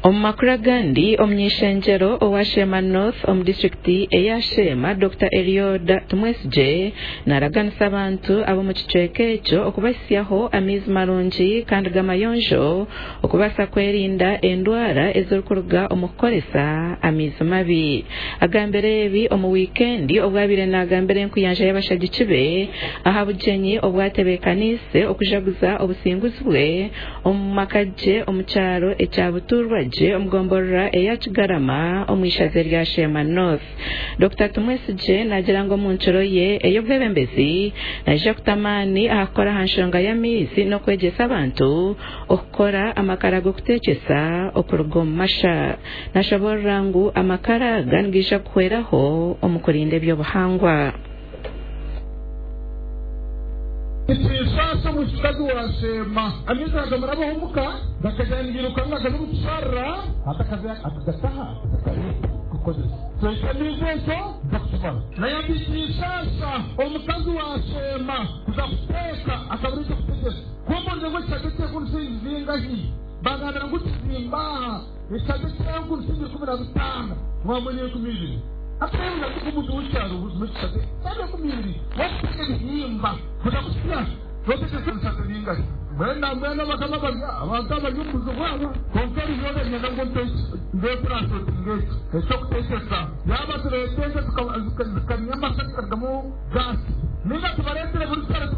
Omu makuru agandi, omuny'ishengyero owa Sheema North omu disiturikiti eya Sheema, Dokita Elioda Tumwesigye naraganisa abantu ab'omu kicweka ekyo okubahitsyaho amaizi marungi kandi g'amayonjo okubaasa kwerinda endwara ezirikuruga omu kukoresa amaizi mabi. Agambire ebi omu wiikendi obu abaire naagambira enkuyanja y'abashagiki be aha bugyenyi obwatebeekaniise okujaguza obusinguzi bwe omu maka gye omu kyaro ekya Buturwagye omu gomborora eya Kigarama omu ishaza erya Sheema North. Dokita Tumwesigye naagira ngu omu nkiro ye ey'obwebembezi naija kuta amaani aha kukora aha nshonga y'amaizi n'okwegyesa abantu okukora amakara g'okuteekyesa okuruga omu masha. Nashoboorora ngu amakara aga nigaija kuhweraho omu kurinda eby'obuhangwa. Nikinshaasha omwishikikazi wa Sheema. Amaizi nagamurabaho omuka gakagenda nigairuka nagaza omu kisharara hati akaza akagataha akagareeta kukozesa. Twete amaizi ekyo gakukimara. Naye nikinshaasha omukazi wa Sheema kuza kuteeka akabura eky'okutegyesa. Ku mbuurize ngu ekishaka eky'enku nishiingi zingahi, bangambira ngu kizimba aha ekishaka eky'enku nishiingi 15 ngu hamwe n'enkumi ibiri. Hati reeba omuntu w'ekyaro buzima ekishaka eky'enkumi ibiri wakuteeka ebihimba kuza kusya notekyesa ebishaka bingahi? Mbwenu nambwenu abakama bari abantu abari omu buzibu aba kwonka ebi byona niinyenda ngu ompe ndeetranslatinga eki eky'okutekyesa yaaba tureeta ente zikamya amasa zikarugamu gaasi ninga tubareetere buri kyaro.